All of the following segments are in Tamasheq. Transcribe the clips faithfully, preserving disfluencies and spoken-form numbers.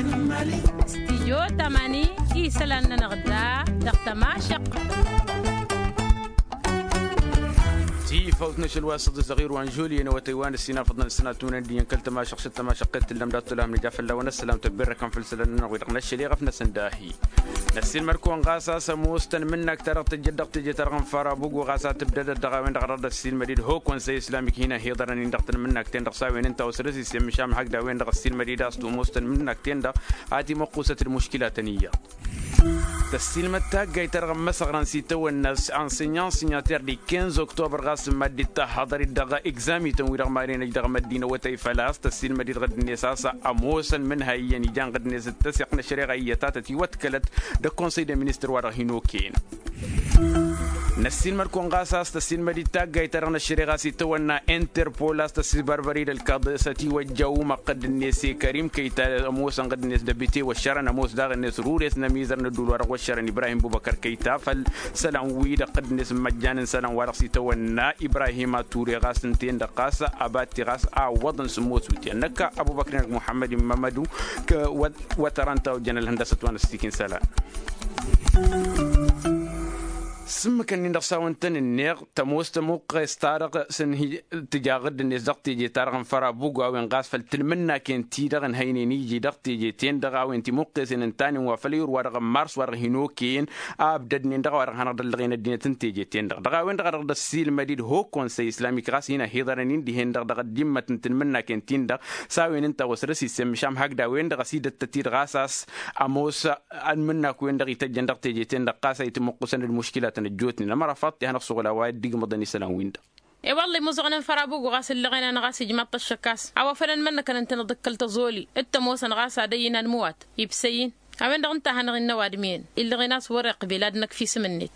Stijyo tamani isălan-nănăɣ da dăɣ-tămašăqq. Tifawt n-ašăl wa s-ăḍis ăɣir wa n-žulye n-awătăy wa n-ăssinafăḍ n-ălsănat unăn d-iyyăn kăl-tămašăqq s-ăttămašăqq i-tǝllăm dat-tălhăm nǝja fălla-wăn ăssălam tăbberrăkăn făll-isălan-nănăɣ wi-dăɣ n-ašăl iɣăf-năsăn dahi. Năssiilmăd-kăwăn ɣas a-s ămoos tanmǝnnakt-ta-dăɣ tǝjjăd dăɣ-teje-ta-dăɣ n-farabugu ɣas a tǝbdădăd dăɣ-a-wen-dăɣ a dăɣ-dd-ăssiilmăd-dd hokon s-e-islamik hin-ăhiḍărăn-in dăɣ-tanmǝnnakt-ten-dăɣ s-a-wen ǝnta osăr-s isem măšan hak d-a-wen-dăɣ ăssiilmăd-dd a-s tămoos tanmǝnnakt-ten-dăɣ a timăqqusăt d-muškilatăn iyyăḍ. Tăssiilmăd taggayt-ta-dăɣ n-imăsăɣrăn s-itawănna ansenyan sinyater d-ikenz oktobăr ɣas n-mad-dd-tahhăḍăr-dd dăɣ-egzamităn-wi-dăɣ mad-enăj dăɣ-măddin awătăy făl-a-s tăssiilmăd-dd ɣǝdd-net a-s ămoosăn mǝnhăy iyyăn ijan ɣǝdd-net d-tăseɣt n-ăššăreɣa iyyăt a tătiwătkălăt d-ăkkonsăy d-ăministăr wa dăɣ-hin-okăyăn. Năssiilmăd-kăwăn ɣas a-s tăssiilmăd-dd taggayt-ta-dăɣ n-ăššăreɣa s-itawănna interpol a-s tăssibărbăr-dd ălkaḍ s-ătiwăjja umăɣ ɣǝdd-net i-kărim kăyta ămoosăn ɣǝdd-net d-abite wăššărăn ămoos daɣ-net rures n-ămizăr n-ădduul wa dăɣ-wăššărăn ibrahim bubăkăr kăyta făll-isălan-wi-dăɣ ɣǝdd-net n-imăjjan n-isălan wa dăɣ-s itawănna ibrahim a ture ɣas ǝnta-en-dăɣ ɣas ăbatti ɣas a ǝwwăḍăn s-ămoos wǝtyan năkk ăbubăkr-in-dăɣ muḥămmăd-in mămădu. Wăt-ărăn ta ojjăn ălhăndăsăt wa n-ăssiikin isălan. S-ǝmmǝk-ǝnnin-dăɣ s-a-wăn tăn-ǝnneɣ tămoos tămuqqes-ta-dăɣ s-ǝnhǝy tǝja ɣǝdd-net dăɣ-teje-ta-dăɣ n-fărabugu a-wen ɣas făll-tǝlmǝnnaken-ti-dăɣ ǝnhăynen iji dăɣ-teje-ten-dăɣ a-wen timuqqesen ǝntanen wa făll-ayǝr wa dăɣ-n mars wa dăɣ-hin-okăyăn a ǝbdădnen dăɣ-a-wa dăɣ-hanăɣ-dd-ăllăɣen ăddinăt n-teje-ten-dăɣ dăɣ-a-wen-dăɣ a dăɣ-dd-ăssiilmăd-dd hokonsăy islamik ɣas hin-ăhiḍărăn-in dihen-dăɣ dăɣ-ăddimmăt n-tǝlmǝnnaken-tin-dăɣ. S-a-wen ǝnta a-wa săr-s issemmǝšam hakd a-wen-dăɣ ăsidăttăt-dd ɣas a-s ămoos ănmǝnnak-wen-dăɣ ităjjăn dăɣ-teje-ten-dăɣ ɣas a itǝmuqqǝsăn d-muškilatăn ăjjootnen ămăra faḍt i-hanăɣ-suɣǝl a-wa dd-igmăḍăn isălan-win-dăɣ. I-wălla imuẓăɣăn n-fărabugu ɣas ǝllăɣen-anăɣ a-s ijmaḍ-t ăššăk a-s a-wa făl ănmănnăkăn ǝntăneḍ d-kăl-tăẓoli d-tămoosăn ɣas ad-ăyyǝn anmǝwat ibsăy-in. A-wen-dăɣ ǝnta a hanăɣ-innă ăwadǝm iyyăn illăɣen a-s wăr-iqbil ad-năkf isǝm-net.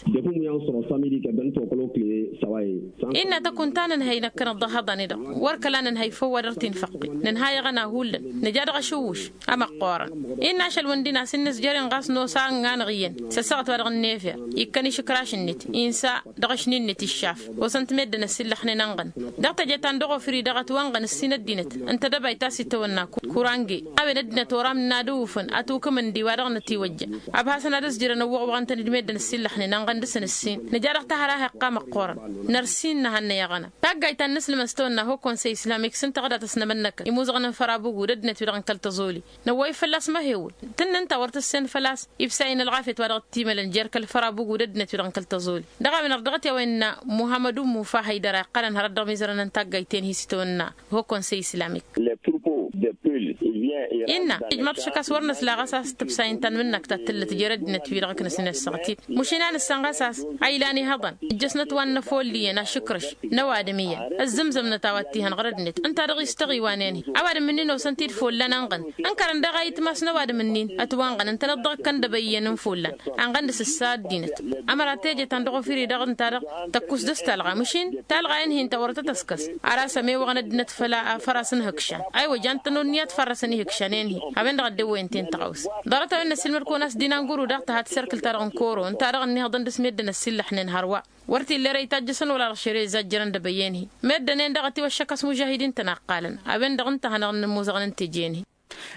Innă tăkun ta nǝnhăy năkkăneḍ dăɣ-ihăḍăn-i-dăɣ wăr kăla nǝnhăy făw wa dăr-t-infăqqǝy nǝnhayăɣăn ahullan nǝja dăɣ-ašǝwwǝš. Ămăqqoorăn innă ašăl wǝndin a-s ǝnnǝs jer-inɣas nosangăn iyyăn s-ăssaɣăt wa dăɣ-ǝnnefeɣ ikkăn išǝkraš-net insa dăɣ-ašni-net iššaf. Osăn-t meddǝn ăssillăxnen ănɣăn dăɣ-teje ta n-dăɣ-ofǝri-dăɣ ătwănɣăn ǝssin ăddinăt n-tedăbayt ta s-itawănna kurange a-wen ăddinăt oram n-ad-ǝwwǝfăn ătukǝm ǝndi wa dăɣ-nătiwăjja. Ăbhasăn ad-ăzjǝrăn ăwwăɣwăɣăn-tăn-dd meddǝn ăssillăxnen ănɣăn dăr-săn ǝssin nǝja dăɣ-tahăra heqqam ăqqoorăn. Năr-sin nǝhănnăy aɣăna taggayt ta n-inǝslǝmăn s-tawănna hokonsăy islamik s-ǝnta ɣǝdat ăsnămănnăkăn imuzăɣăn n-fărabugu d-ăddinăt wi-dăɣ n-kăl-tăẓoli. Năwwăy fălla-s măhewǝl tǝnnǝn ta wăr tăssen făl-a-s ibsayăn ălɣafyăt wa dăɣ-t-imălăn jer-kăl-fărabugu d-ăddinăt wi-dăɣ n-kăl-tăẓoli. Dăɣ-a-wen-dăɣ dăɣ-t i-a-wa innă muhammăd ummu fa hăydăra iqqălăn hărăt dăɣ-mizărăn n-taggayt-en hi-s itawănna hokonsăy islamik. Innă ijmaḍ-t ašăk a-s wăr năsla ɣas a-s tǝbsayăn tanmǝnnakt ta t-tǝllăt jer-ăddinăt-wi-dăɣ ǝknăsnen ăssaɣăt-in. Măšin a nǝssan ɣas a-s a ilan ihăḍăn ǝjjăsnăt wa n-inăfolliyăn ašǝkrăš n-ăwadǝm iyyăn ăzzǝmzămnăt a-wa t-ihăn ɣur-ăddinăt ǝnta-dăɣ istăɣ iwanen-hi. Ăwadǝm-ǝnnin osăn-t-dd follan ănɣăn ǝnkărăn daɣ a itmas n-ăwadǝm-ǝnnin ătwănɣăn ǝntăneḍ dăɣ-ǝkkăn dăbăyyăn n-follan ănɣăn d-asǝssa ăddinăt. Ămăra teje ta n-dăɣ-ofiri-dăɣ ǝnta-dăɣ tăkkus dăr-s talɣa măšin talɣa-en-hi ǝnta wăr tăt-ăskăs. Ar a-s ămewăɣăn ăddinăt făll-a făr-asăn ihǝkšan aywa jan-tăn onniyăt fărrăsăn ihǝkšan-en-hi. A-wen-dăɣ ăddewăyăn-ten tăɣawsa. Ḍarăt-a-wen n-ăssiilmăd-kăwăn a-s din anguru daɣ tăha tisărkǝlt-ta-dăɣ n-koro ǝnta-dăɣ ănniihăḍăn dăr-s meddǝn ăssillăxnen hărwa. Wăr t-illa ere itajjăsăn wăla dăɣ-šere izzajjărăn dăbăyyăn-hi. Meddǝn-en-dăɣ ătiwăššăk a-s mužahidin-tăn a ǝqqalăn. A-wen-dăɣ ǝnta a hanăɣ-nǝmmuzăɣăn n-teje-en-hi.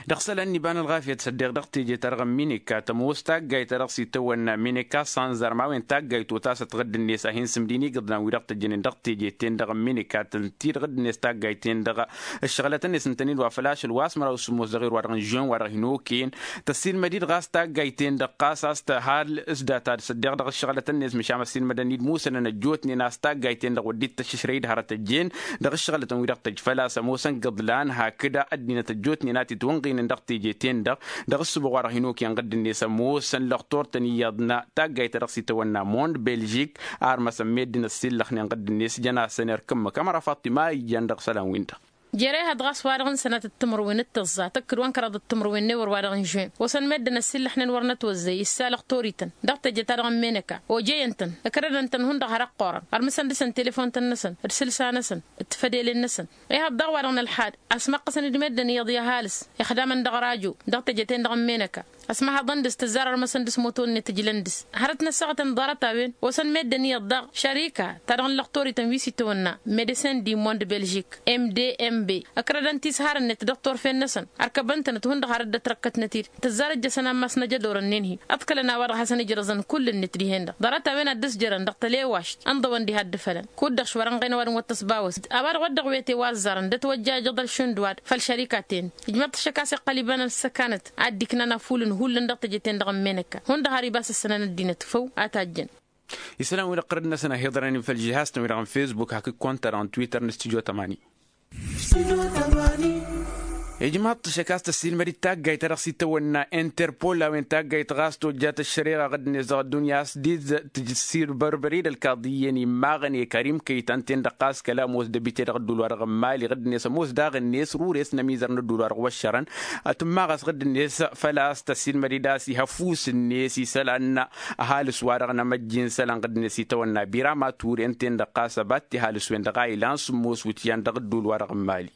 Dăɣ-isălan n-iba n-ălɣafyăt s-ăddeɣ dăɣ-teje-ta-dăɣ n-minika tămoos taggayt ta dăɣ-s itawănna minika sanzar ma-wen taggayt otasăt ɣǝdd-net a hin-sǝmdin igǝḍlan wi dăɣ-tăjjănen dăɣ-teje-ten-dăɣ n-minika tăn-t-dd ɣǝdd-net taggayt-ten-dăɣ. Ǝššăɣlăt-net ǝntănen wa făl ašăl wa s-măraw s-ǝmmos dăɣ-erwa dăɣ-n žuwen wa dăɣ-hin-okăyăn. Tăssiilmăd-dd ɣas taggayt-ten-dăɣ ɣas a-s tăhal s-data d-săddeɣ dăɣ-ǝššăɣlăt-net măšan ăssiilmădăn-dd musănăn ăjjootnen a-s taggayt-ten-dăɣ wăr dd-tăššăšrăy d-hărăt ăjjeen. Dăɣ-ǝššăɣlătăn wi-dăɣ tăjj făl-a-s ămoosăn gǝḍlan hakd ăddinăt ăjjootnen a t-itwănɣinen dăɣ-teje-ten-dăɣ. Dăɣ-ǝssǝboɣ wa dăɣ-hin-okăyăn ɣǝdd-net ămoosăn lăxtor-tăn iyyăḍ n-taggayt ta dăɣ-s itawănna mond belžik. Armăsăn meddǝn ăssillăxnen ɣǝdd-net jăn-asăn erk ǝmmǝk ămăra faṭṭima ijjan dăɣ-isălan-win-dăɣ. Jere ihăḍ ɣas wa-dăɣ n-sănatăt timǝrwen d-tăẓẓa tăkk d-wa n-kăraḍăt timǝrwen n-ewăr wa dăɣ-n žuwen osăn meddǝn ăssillăxnen wăr nătwăzzăy issa lăxtor-ităn. Dăɣ-teje-ta-dăɣ n-menăka ojăyăn-tăn ǝkrădăn-tăn hundăɣ har ăqqoorăn ărmǝsăn dăr-săn telefon-tăn-năsăn d-isǝlsa-năsăn d-tefădelen-năsăn. Ihăḍ daɣ wa-dăɣ n-ălxad ăsmăqqăsăn-dd meddǝn iyyăḍ i-ăhalǝs ixdamăn dăɣ-rajo dăɣ-teje-ten-dăɣ n-menăka. Ăsmăhăḍăn dăɣ-s tǝzzar ărmăsăn dăɣ-s moto-net ǝjlăn dăɣ-s hărăt n-ăssaɣătăn ḍarăt-a-wen osăn meddǝn iyyăḍ daɣ šărika ta dăɣ-nǝllăɣ toriten wi s-itawănna medecin di mond belžik mdmb ǝkrădăn tisharăn-net dăɣ-torfen-năsăn. Ărkăbăn-tănăt hundăɣ har dd-ătrăkkătnăt-dd tǝzzar ǝjjăsăn ammas n-ajădorăn-nin-hi ǝḍkălăn a-wa-dăɣ hasăn-ǝjrăẓăn kull-net dihen-dăɣ ḍarăt-a-wen ad-dd-ăsjărăn dăɣ-tălewašt ǝnḍăwăn diha dd-ǝfălăn kud-dăɣ šwărănɣen ăwadǝm wa t-ăsbawăs. A-wa-dăɣ wădden wi ătewăẓẓarăn d-ătwăjjajăḍ ălšund wa-dăɣ făll-šărikaten ijmăḍ-t ašăk a-s iqqăl iba n-ăssăkanăt ad-dd-iknan afulǝn hullan dăɣ-teje-ten-dăɣ n-menăkka hundăɣ har ibas ǝssănăn ăddinăt făw a tajjăn. Isălan-wi-dăɣ tărăd-năsăn a hi-iḍrănen făll-žihaz-tăn-wi-dăɣ n-fesbuk hakd konta-dăɣ n-twitter n-studyo tămani. Ijmaḍ-t ašăk a-s tăssiilmăd-dd taggayt ta dăɣ-s itawănna interpol a-wen taggayt ɣas tojjat ăššăreɣa ɣǝdd-net dăɣ-ăddunya a-s dd-tǝjǝssir bărbări d-ălkaḍi iyyăn immaɣăn i-karim kăytan-ten-dăɣ ɣas kăla ămoos d-abite dăɣ-ădduul-wa-dăɣ n-mali ɣǝdd-net ămoos daɣ-net rures n-ămizăr n-ădduul-wa-dăɣ wăššărăn. Tǝmmaɣ a-s ɣǝdd-net făl-a-s tăssiilmăd-dd a-s ih' ăfuss-net isălan ăhalǝs-wa-dăɣ n-amăjji n-isălan ɣǝdd-net itawănna birama turen-ten-dăɣ ɣas ăbat tihalǝs-wen-dăɣ a ilan sǝmmos wǝtyan dăɣ-ădduul-wa-dăɣ n-mali.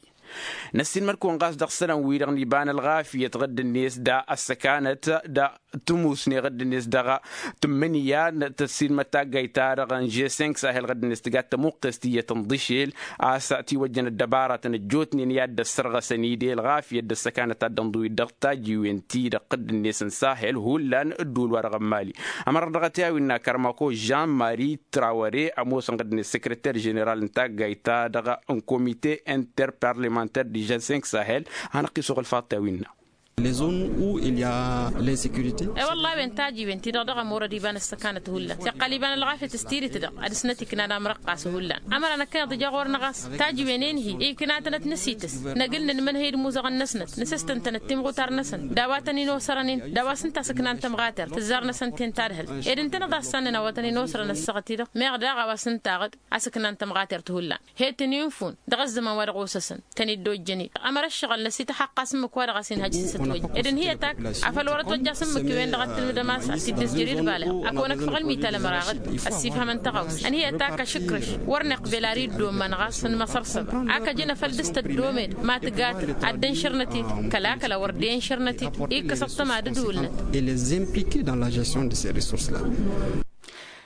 Năssiilmăd-kăwăn ɣas dăɣ-isălan-wi-dăɣ n-iba n-ălɣafyăt ɣǝdd-net da ăssăkanăt da tǝmusne ɣǝdd-net dăɣ-tǝmmǝnǝya n-tăssiilmăd taggayt-ta-dăɣ n-žessenk sahel ɣǝdd-net tǝgat tămuqqes tiyyăt n-iḍǝšel a-s tiwăjjăn ăddăbaratăn ăjjootnen i-ad-dd-ăssărɣăsăn-dd i-ălɣafyăt d-ăssăkanăt ta dd-ănḍǝwit dăɣ-tajiwen-ti-dăɣ ɣǝdd-net n-sahel hullan ădduul-wa-dăɣ n-mali. Ămăra dăɣ-t i-a-wi n-akărmako žan mari trawăre ămoosăn ɣǝdd-net săkrăter ženeral n-taggayt-ta-dăɣ n-komite interparlementer d-žessenk sahel. Hanăɣ-t-isuɣǝl faḍt i-a-wi n-a. Les zones où il y a l'insécurité. E-wălla a-wen tajiwen-ti-dăɣ dăɣ-ămurăd iba n-ăssăkanăt hullan s-iqqăl iba n-ălɣafyăt s-tidǝt-dăɣ ad-dăr-snăt iknan amrăqqas hullan. Ămăra năkkăneḍ ija ɣur-năɣ a-s tajiwen-en-hi ikna-tănăt năsiităs năgǝl nǝnmǝnhăy d-imuzăɣăn-năsnăt nǝsǝstăn-tănăt timɣutar-năsăn d-a-wa tăn-in-osărănen d-a-wa s-ǝnta a-s ǝknan tămɣatert tǝzzar-năsăn-ten tadhǝlt. Ed ǝntăneḍ a ǝssannen a-wa tăn-in-osărăn ăssaɣăt-i-dăɣ meɣ daɣ a-wa s-ǝntaɣ-dd a-s ǝknan tămɣatert hullan. He-tăn-infun dăɣ-ăzzăman wa dăɣ-osăsăn tăn-dd-ojjăn-dd ămăra ǝššăɣǝl n-ăsităxăqqas ǝmmǝk wa dăɣ-a-s inhăjj s-ătwăjj ed ǝnhǝy ătak afăl wăr-ătwăjj a-s ǝmmǝk-wen-dăɣ ad-tǝlmǝdăm a-s ad-t-dd-ăzjăr i-dd balăɣ. Ad-kăwăn-ăkfăɣ ălmital ămăra ɣǝd ăssifhămăn tăɣawsa ănhǝy ătak ašǝkrǝš wăr nǝqbel ar iddomăn ɣas n-imăsărsăba. Ak ăjǝn afăl dăɣ-s tăddomed ma tǝgatăt ad-dd-ănšărnăt-dd kăla kăla wăr dd-i-ănšărnăt-dd. Ikkăs ăṭṭăma d-ǝdulnăt. Et les impliquer dans la gestion de ces ressources là.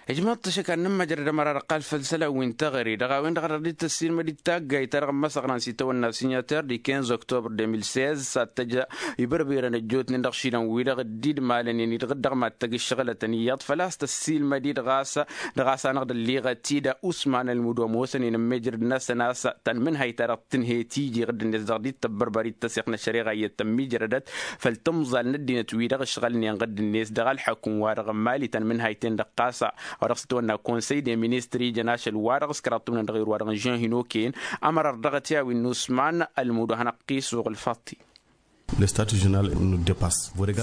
Ijmăḍ-t ašăk ad-nǝmmăjrăd ămăra dăɣ-iqqal făll-isălan wi n-teɣăre dăɣ-a-wen-dăɣ a dăɣ-dd-tăssiilmăd-dd taggayt ta dăɣ-ămmăsăɣran s-itawănna signater di kinz oktobr deux mille seize s-ad-tăj ibărbirăn ăjjootnen dăɣ-išilan-wi-dăɣ dd-idmalănen-dd ɣǝddăɣ mad-tăgg ǝššăɣǝlătăn iyyăḍ făl-a-s tăssiilmăd-dd ɣas dăɣ-a-s hanăɣ-dd-ălliɣăt-dd usman ălmudo ămoosăn-in ămmijrăd-năsăn a-s tănmǝnhăy ta dăɣ-tǝnhăyăt iji ɣǝddǝnet dăɣ-dd-tăbbărbăr-dd tăsiɣt n-ăššăreɣa iyyăt tămmijrădăt făll-tǝmẓal n-ăddinăt wi-dăɣ ǝšɣălnen ɣǝddǝnet dăɣ-ălḥăkǝm-wa-dăɣ n-mali tănmǝnhăy-ten-dăɣ ɣas a-wa dăɣ-s tătwănna konsăy de ministri jăn ašăl-wa-dăɣ s-kăraḍ tǝmnăn dăɣ-irwa-dăɣ n-žănhǝn okăyăn. Ămăra dăɣ-t i-a-wi n-usman ălmudo hanăɣ-t-isuɣǝl faḍt-i. Lăstatut ženeral nu depas.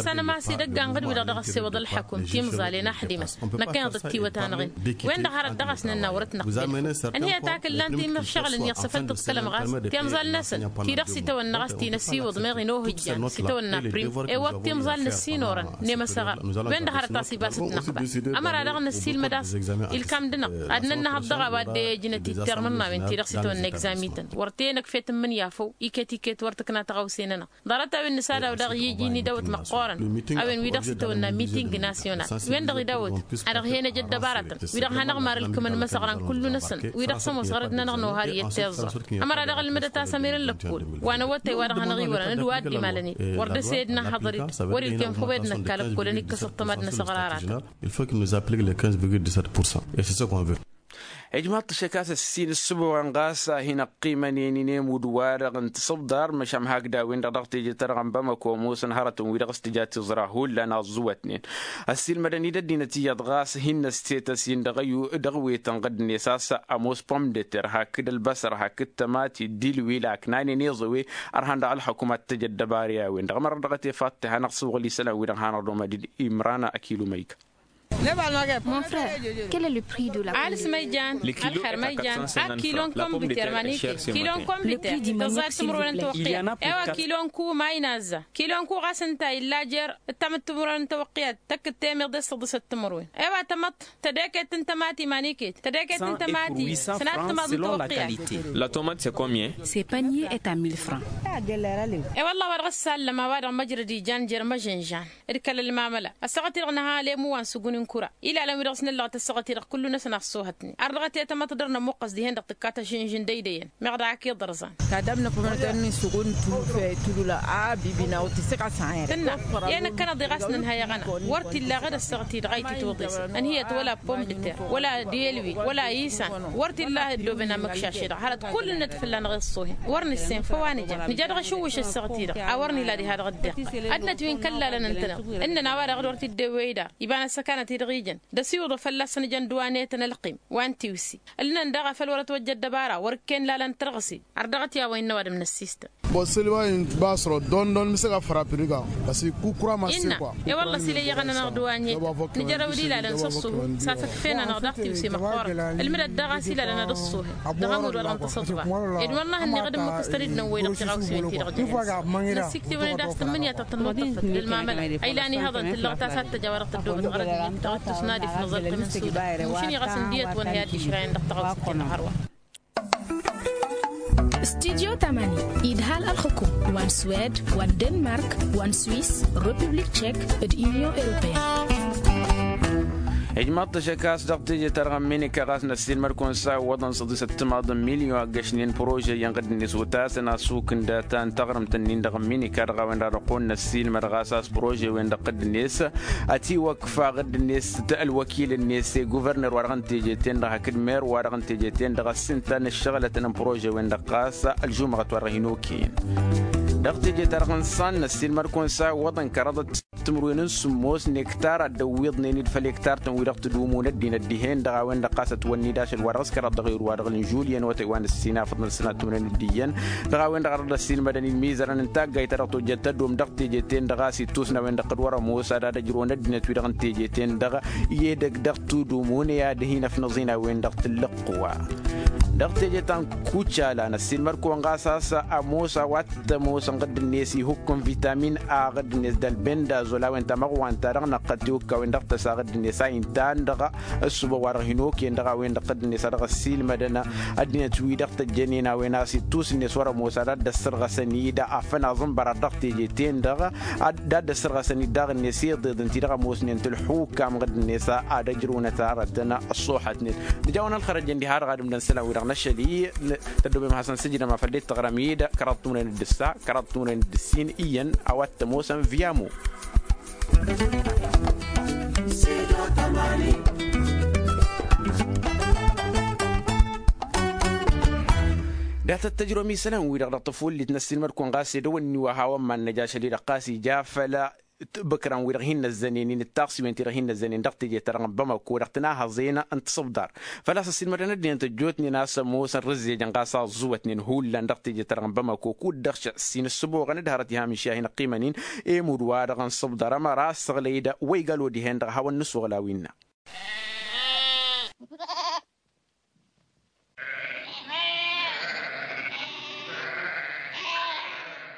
Sănămas idăgg anɣǝd-wi-dăɣ dăɣ-ăssewăḍ ălḥăkum timẓalen a ăḥdimăn. Năkkăneḍ ătiwăt-anăɣ-in wen-dăɣ hărăt dăɣ-asnănna wăr-ătnăɣbel. Ănhăyăt akǝllan timǝššăɣǝl-n-i ăṣṣăfăl tǝḍkălăm ɣas timẓal-năsăn ti-dăɣ s-itawănna ɣas ti n-ăsiwǝḍ meɣ inǝhǝjjan s-itawănna prim. Ewăḍ timẓal n-ăssinorăn n-emăsăɣar wen-dăɣ hărăt a-s ibas ǝtnăɣba. Ămăra-dăɣ năssiilmăd a-s ilkam-dăɣ ad-nănnăhăḍ dăɣ-a-wa dd-e-ăjnăt-dd termǝnnawen ti-dăɣ s-itawănna egzamităn wăr t-e-năkf i-tǝmmǝnǝya făw iket-iket wăr tǝkna tăɣawse-nănăɣ. Ḍarăt-a-wen nǝsad a-wa dăɣ-i iji n-idawăt măqqoorăn a-wen wi-dăɣ s-itawănna miting nasyonal wen-dăɣ idawăt ad-dăɣ-hen-ăj ăddăbarătăn wi-dăɣ hanăɣ-marǝlkǝmăn imăsăɣran kullu-năsăn wi-dăɣ s-ămoos ɣărăt-nănăɣ n-ohar i-ăttiẓẓăr. Ămăra dăɣ-ǝlmǝdăt a-s ămirăn lăkkol wa n-awătay wa dăɣ-hanăɣ-iwărăn d-wa dd-imalăn-dd wăr dăr-s ed n-ahăḍăr-dd wăr-ilkem făw ed năkk alăkkol ănikkăs ăṭṭăma d-inăsăɣraratăn. Il faut qu'il nous applique les quinze virgule dix-sept pour cent et c'est ce qu'on veut. Ijmaḍ-t ašăk a-s ăssin ǝssǝboɣăn ɣas a hin-ăqqimănen inemud wa-dăɣ n-tisǝbḍar măšan hakd a-wen-dăɣ dăɣ-teje-ta-dăɣ n-bamăko ămoosăn hărătăn wi-dăɣ s-tǝja tiẓra hullan a ăẓẓuwătnen. Ăssiilmădăn-dd ăddinăt iyyăḍ ɣas hin-năsset ăsin dăɣ-wetăn ɣǝddǝnet a-s ămoos pom de ter hakd ălbăsăr hakd tămati d-ilwil a ǝknanen iẓăwe. Ărhan dăɣ-ălxukum ad-t-tăj ăddăbara i-a-wen-dăɣ ămăra dăɣ-tefaḍt-te hanăɣ-sǝwɣǝl isălan-wi-dăɣ hanăɣ-dd-omăd-dd imran akilu măyka. Mon frère, quel est le prix de la alǝs ma ijan? Alxer ma ijan? A kilo n-kombiter ma n-ike kilo n-kombiter tăẓẓa d-timǝrwen n-tăwăqqiyat. E-wa kilo n-ku ma inazza kilo n-ku ɣas ǝnta illa jer-ǝttam d-timǝrwen n-tăwăqqiyat tăkk-dd temeḍe s-săḍǝsăt timǝrwen. E-wa tamăḍt tădeket n-tămati ma n-iket tădeket n-tămati sănat tămaḍ n-tăwăqqiyat. La tomate c'est combien? Ce panier est à mille francs. E-wălla a-wa dăɣ-ăssallăm a-wa dăɣ-măjrăd ijan jer-măžănžan d-kăl-ălmamăla ăssaɣăt-i-dăɣ nǝha alemu wa n-sǝgun n-kura ilalăn wi dăɣ-s nǝllăɣăt ăssaɣăt-i-dăɣ kullu-năsăn a ăṣṣoohătnen. Ar dăɣ-t i-tamăḍt dăr-nămuqqăs dihen-dăɣ tǝkka tăžǝnžǝn d-eydăyăn meɣ daɣ ak-iḍărzan. Tadamnăt mănătăn n-sǝgun n-tufe tulǝla a bibina wăr t-isǝɣasăyăr. Tǝnna i-ad-năkkănăḍ i-ɣas nǝnhăy aɣăna wăr t-illa ɣǝd ăssaɣăt-i-dăɣ a itǝtwǝḍes ănhǝyăt wăla pomme de terre wăla d-elwi wăla isan. Wăr t-illa ăddooben amǝkšaš-i-dăɣ hărăt kull-net fălla-năɣ iṣṣuhen. Wăr nǝssen făw a nǝja nǝja dăɣ-ašǝwwǝš ăssaɣăt-i-dăɣ a wăr nǝla diha dăɣ-dd-iqqăl ăddinăt wi n-kăllalăn ǝntăneḍ ǝnnăn a-wa-dăɣ d-wăr t-dd-ewwey dar iba n-ăssăkanăt-i-dăɣ ijăn d-ăsiwǝḍăf fălla-săn ǝjăn dd-wa n-etăn ălqim wa n-tiwǝssi. Ǝlnăn daɣ a făl wăr-ătwăjja ăddăbara wăr-ǝkken lalăn tărɣǝse. Ar dăɣ-t i-a-wa innă ăwadǝm n-ăssistăn. Bosăl wa inba săro dondon mǝsăg afăr apiriga. Băs ikkukura măssin kwa. E-wălla s-ila iyyăɣăn-anăɣ d-wa n-e nǝjărăw d-ilalăn s-ăṣṣuhu s-afǝkfen-anăɣ daɣ tiwse măqqoorăt. Ǝlmǝdăt daɣ a-s ilalăn ad-ăṣṣuhen dăɣ-amud wa dăɣ-nǝtăsăḍbar. Ed wăr n-ahǝnneɣ d-ǝmmǝk s-tăridnăn-wen-dăɣ tiɣawsiwen-ti-dăɣ jănăzăt. Năssiktǝwăn-dd a-s tǝmmǝnǝya ta tănmăḍtăfăt d-ălmamăla a ilan ihăḍăn tǝllăɣ ta s-ad-tăj a-wa dăɣ-tăddoobăt ɣărăt-net tăɣtǝs n-ad-ifnǝẓ ălqim n-sudan. Mašin iɣăs ǝndiyăt wa n-hi-ad-išrayăn dăɣ-taɣawsit-ti-dăɣ hărwa. Studio tamani idhal ălxukum wa n-swed wa n-denmark wa n-swiss, republik tšek d-union europeyenne. Ijmaḍ-t ašăk a-s dăɣ-teje-ta-dăɣ n-minika ɣas năssiilmăd-kăwăn s-a iwwăḍăn săḍisăt timaḍ n-milyon a ǝggăšnen prože-iyyăn ɣǝdd-net otasăn asuk n-data n-taɣrǝmt-nin-dăɣ n-minika dăɣ-a-wen-dăɣ a dăɣ-kăwăn-năssiilmăd ɣas a-s prože-wen-dăɣ ɣǝdd-net. Ătiwăkfa ɣǝdd-net ălwăkil-net i-guvărner-wa-dăɣ n-teje-ten-dăɣ hakd mer-wa-dăɣ n-teje-ten-dăɣ ăssinta n-ǝššăɣǝlătăn n-prože-wen-dăɣ ɣas ălžumăɣăt wa dăɣ-hin-okăyăn. Dăɣ-teje-ta-dăɣ n-iṣan năssiilmăd-kăwăn s-a iwwăḍăn kăraḍăt timǝrwen n-sǝmmos n-ektar a dd-ăwwiḍnen-dd făll-ektar-tăn wi-dăɣ tǝdumǝwăn ăddinăt dihen-dăɣ a-wen-dăɣ ɣas ătwănn'-dd ašăl wa dăɣ-s kăraḍ dăɣ-erud wa dăɣ-lăn žulyen wătăy wa n-ǝssin afăḍăn s-sănat timǝrwen d-iyyăn. Dăɣ-a-wen-dăɣ a dăɣ-dd-ăssiilmădăn-dd imizărăn n-taggayt ta dăɣ-tojjăt tădom dăɣ-teje-ten-dăɣ a-s ittus n-a-wen-dăɣ d-wăr-ămoos ad-ad-ăjrăwăn ăddinăt wi-dăɣ n-teje-ten-dăɣ i-edăgg dăɣ-tudum unăy ad-hin-ăfnăẓ-in a-wen-dăɣ tǝllǝqq wa. Dăɣ-teje ta n-kucala năssiilmăd-kăwăn ɣas a-s ămoos a-wa t-ămoosăn ɣǝdd-net ihukk n-vitamin a ɣǝdd-net d-ălbendazol a-wen tamăɣwa ǝnta-dăɣ năqqăt tiwǝkkawen dăɣ-tăsa ɣǝdd-net a inta a-wen-dăɣ ăssubăɣ wa dăɣ-hin-okăyăn dăɣ-a-wen-dăɣ ɣǝdd-net a dăɣ-ăssiilmădăn ăddinăt-wi-dăɣ tăjjănen a-wen a-s ittus-net wăr-ămoos ad-dd-ăssărɣăsăn-dd afănaẓ n-bărad dăɣ-teje-ten-dăɣ. D-ad-dd-ăssărɣăsăn-dd daɣ-net iḍeḍ ǝnta-i-dăɣ ămoosnen tǝlḥukam ɣǝdd-net ad-ăjrǝwnăt arătăn ăṣṣuḥătnen. Nǝja-wăn ălxărăjăn diha-dăɣ ad-ǝmdăn isălan-wi-dăɣ n-ašăl-i. Tăddomem hasăn-sǝjrăm a făl dd-tăɣrăm-dd kăraḍ timǝrwen d-ǝssa kăraḍ timǝrwen d-ǝssin iyyăn a-wa t-ămoosăn viyamu. Dat-ăttăjrăwăm isălan-wi-dăɣ dăɣ-tafullit n-ăssiilmăd-kăwăn ɣas edăwănni wa hawăn-mad-năj ašăl-i-dăɣ ɣas ija făll-bǝkran-wi-dăɣ hin-năzzănen-in d-taɣsiwen-ti-dăɣ hin-năzzănen dăɣ-teje-ta-dăɣ n-bamako dăɣ-tinahăẓen n-tisǝbḍar. Făl-a-s ăssiilmădăn ăddinăt ăjjootnen a-s ămoosăn rǝzzejăn ɣas a ăẓẓuwătnen hullan dăɣ-teje-ta-dăɣ n-bamako kud-dăɣ šăssin ǝssǝboɣăn d-hărăt iham iši a hin-ăqqimăn-in. Emud-wa-dăɣ n-sǝbḍar ămăra ăssăɣlăy-dd wa igal odihen-dăɣ a hawăn-nǝsuɣǝl a-wa innă.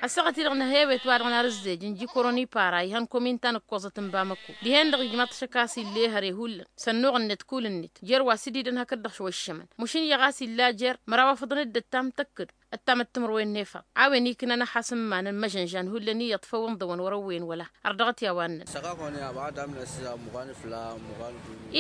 Ăssaɣăt-i-dăɣ n-ehewet wa-dăɣ n-arǝzzej n-jikoroni para ihăn kominta n-ǝkkoẓăt n-bamăko dihen-dăɣ ijmaḍ-t ašăk a-s ill'-e hăre hullan s-ănnuɣ-net kul-net jer-wa s-dd-idăn hakd-dăɣ šwăššămăn. Măšin iyyăɣ a-s illa jer-măraw afǝḍăn-dd ăttam tăkk-dd ăttam d-timǝrwen n-efăḍ a-wen iknan ăḥasǝmman n-imăžănžan hullan iyyăḍ făw ǝnḍăwăn wăr-ăwwăyăn wăla. Ărdăɣăt i-a-wa ǝnnăn.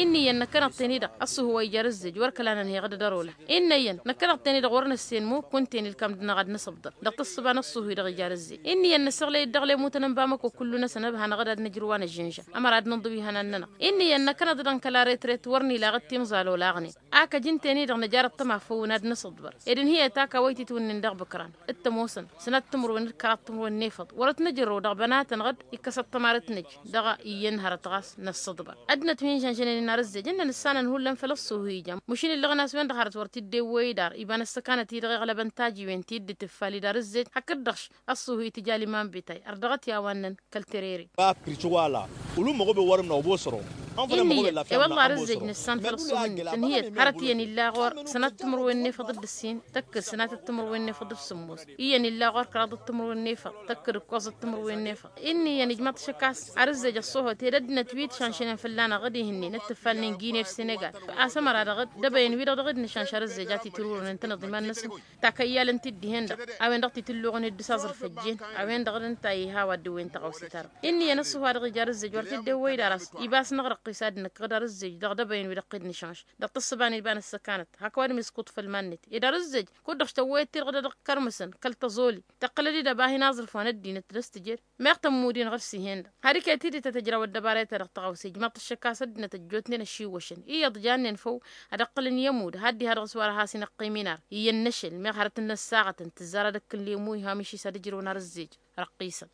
Inn'-iyyăn năkkăneḍ-ten-i-dăɣ ăṣṣuhu wa ija arǝzzej wăr kăla nănheɣ d-ărola. Inn'-iyyăn năkkăneḍ-ten-i-dăɣ wăr năssen mukk kunta-en ilkam dăɣ-năɣ ad-nǝsǝbḍăr dăɣ-tǝssǝba n-ăṣṣuhu-i-dăɣ ija arǝzzej. Inn'-iyyăn năsăɣlăy-dd dăɣ-lemutăn n-bamăko kullu-năsăn ăbhanăɣ-dd ad-nǝjrǝw a năžžǝnža ămăra ad-nǝnḍǝw ihănan-nănăɣ. Inn'-iyyăn năkkăneḍ-dăɣ n-kăla retret wăr n-ilaɣ d-timẓal olaɣnen. Ak ăj ǝnta-en-i-dăɣ năjarăt tămafăwăn ad-nǝsǝḍbăr ed ǝnhǝyăt ak a-wa itǝtwǝnnin dăɣ-ibǝkran d-tămoosăn sănat timǝrwen d-kăraḍ timǝrwen n-efăḍ wăr-ătnăjrăw dăɣ-bănatăn-dăɣ d-ikkăsăt tămarăt-năj. Dăɣ-iyyăn hărăt ɣas năssăḍbăr ăddinăt wi n-žănžănen inarǝzzej ǝnnăn ǝssanăn hullan făll-ăṣṣuhu ijan măšin ǝllăɣăn a-s wen-dăɣ hărăt wăr t-dd-ewwăy dar iba n-ăssăkanăt-i-dăɣ iɣlăbăn tajiwen ti dd-tǝffal idarǝzzej hakd-dăɣ š-ăṣṣuhu itǝja liman bitay ărdăɣăt i-a-wa ǝnnăn kăl-terere. Ba pirci wala ulum măɣobe wăr-ǝmnăɣ ăbosăro. Inn'-iyyăn i-wălla arǝzzej nǝssan făll-ăṣṣuhǝnnet ǝnhǝyăt hărăt iyyăn illa ɣur-sănat timǝrwen n-efăḍ d-ǝssin tăkkǝd sănatăt timǝrwen n-efăḍ d-sǝmmos iyyăn illa ɣur-kăraḍăt timǝrwen n-efăḍ tăkkǝd ǝkkoẓăt timǝrwen n-efăḍ. Inn'-iyyăn ijmăḍ-t šăkkas arǝzzej ăṣṣohăt ed ăddinăt wi t-šanšănen fălla-năɣ d-ihǝnnen d-tǝffalnen gine d-senegal. Asămăra-dăɣ d-ăbăyăn wi-dăɣ dăɣ-dd-nǝšanš arǝzzej a t-itrurăn ǝntăneḍ iman-năsăn takăyyalăn-t-dd dihen-dăɣ a-wen-dăɣ t-itǝlluɣăn dd-săẓrǝf ăjjeen. A-wen-dăɣ d-ǝnta a iha wa dd-ǝwwen tăɣawse-ta-dăɣ. Inn'-iyyăn ăṣṣuhu-wa-dăɣ ija arǝzzej wăr t-dd-ewwăy d-aras ibas-năɣ răqqis ad-nǝkkăɣ d-arǝzzej dăɣ-dăbăyăn wi dăɣ-t-dd-nǝšanš dăɣ-tǝssǝba n-iba n-ăssăkanăt hak ăwadǝm iskuḍ făll-iman-net. Ed arǝzzej kud-dăɣ tăwwăyăt-t-dăɣ d-ad-ăɣ-kărmǝsăn kăl-tăẓoli tăqqǝlăd-dd ăba hin-aẓrǝf wa n-ăddinăt d-ăstǝjed. Meɣ tămmud-in ɣur-s ihen-dăɣ har iket-dd tăt-ăjrawăt dăbarayăt-ta-dăɣ tăɣawse ijmăḍ-t ăššăk a-s ăddinăt ăjjootnen ăšiwwăšăn iyyăḍ jannen făw ad-ăqqǝlăn i-ămudd had-diha dăɣ-s wa dăɣ-has-in-ăqqim inar iyyăn n-ašăl meɣ hărăt n-inăssaɣătăn tǝzzar ad-ăkk n-lemu iha mišis ad-ǝjrǝwăn arǝzzej răqqisăn.